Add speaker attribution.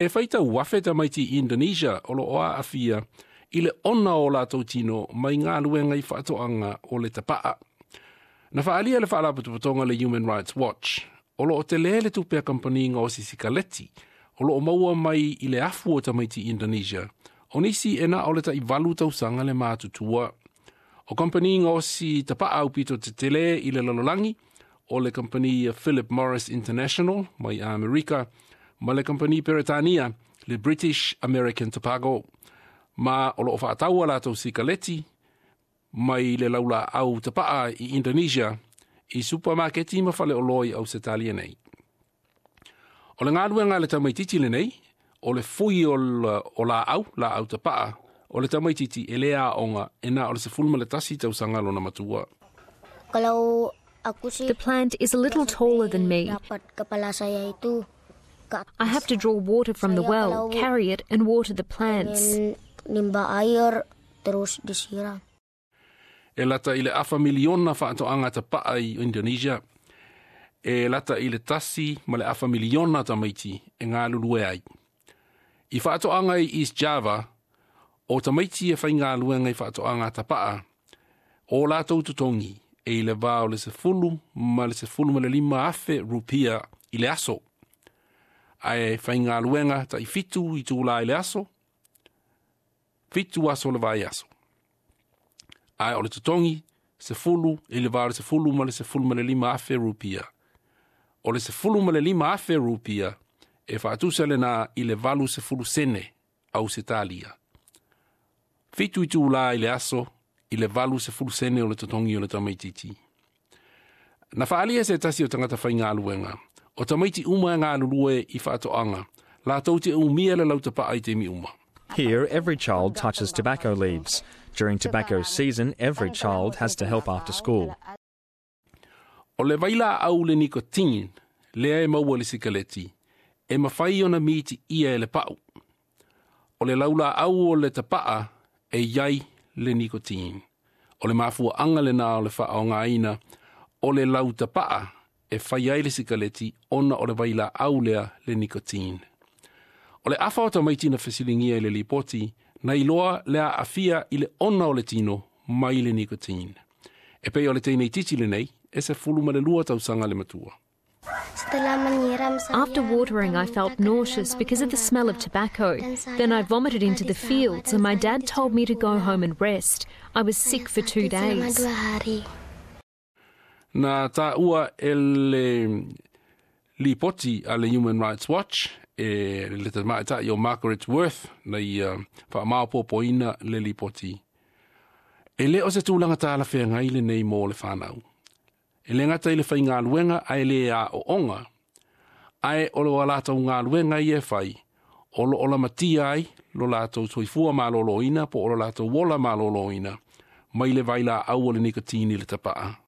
Speaker 1: E faitau afe tamaiti i Indonesia o loo aafia i le ona o latou tino mai galuega i faatoaga o le tapaa. Na faaalia le faalapotopotoga le Human Rights Watch, o loo tele le tupe a kamupani gaosi sikaleti, o loo maua mai i le afu o tamaiti Indonesia, o nisi e na o le tai 8 tausaga le matutua. O kamupani gaosi tapaa aupito tetele i le lalolagi, o le kamupani Philip Morris International mai Amerika, ma le kamupani Peretania, le British American Tobacco, ma o loo faataua latou sikaleti mai le laulaau tapaa i Indonesia i supamaketi ma faleoloa i Ausetalia nei. O le galuega a le tamaititi lenei, o le fui o laau, laau tapaa, o le tamaititi e le aoga e na o le 11 tausaga lona matua.
Speaker 2: Kalau aku sih
Speaker 3: The plant is a little taller than me.
Speaker 2: Dapat kepala saya itu ke
Speaker 3: I have to draw water from the
Speaker 2: Saya
Speaker 3: well,
Speaker 2: kalau
Speaker 3: carry it, and water the plants.
Speaker 2: Ingin nimba air terus disiram.
Speaker 1: E lata i le afa miliona faatoaga tapaa i Indonesia. E lata i le 1.5 miliona tamaiti e galulue ai. I faatoaga i East Java, o tamaiti e faigaluega i faatoaga tapaa, o latou totogi e i le va o le 10 ma le 15 afe rupia i le aso. Ae faigaluega tai 7 itulā i le aso, 7 aso le vaiaso. Ae o le totogi, 10 i le va o le 10 ma le 15 afe rupia. O le 15 afe rupia e faatusa lena i le 80 sene Ausetalia. 7 itulā i le aso i le 80 sene o le totogi o le tamaititi. Na faalia se tasi o tagata faigaluega, o tamaiti uma e galulue i faatoaga, latou te umia le lautapaa i taimi uma.
Speaker 4: Here, every child touches tobacco leaves. During tobacco season, every child has to help after school.
Speaker 1: O le vailaau le nicotine, lea e maua le sikaleti, e mafai ona miti ia e le pau. O le laulaau o le tapaa e iai le nicotine. O le mafuaanga lena o le faaaogaina o le lautapaa e fai ai le sikaleti ona o le vailaau lea le nicotine. O le afa o tamaiti na fesiligia i le lipoti, na iloa le aafia i le ona o le tino mai le nicotine. E pei o le teineitiiti lenei, e 12 tausaga le matua.
Speaker 2: Setelah menyiram saya
Speaker 3: After watering, I felt nauseous because of the smell of tobacco. Then I vomited into the fields, and my dad told me to go home and rest. I was sick for 2
Speaker 2: Selama
Speaker 3: days.
Speaker 2: 2 hari.
Speaker 1: Na taua e le lipoti a le Human Rights Watch e le tamaitai o Margaret Worth na ia faamaopoopoina le lipoti. E le o se tulaga talafeagai lenei mo le fanau. E le gata i le faigaluega ae le aooga, ae o lo latou galuega ia e fai, o lo o lamatia ai lo latou soifua malōlōina po o lo latou ola malōlōina, mai le vailaau o le nikotini le tapaa.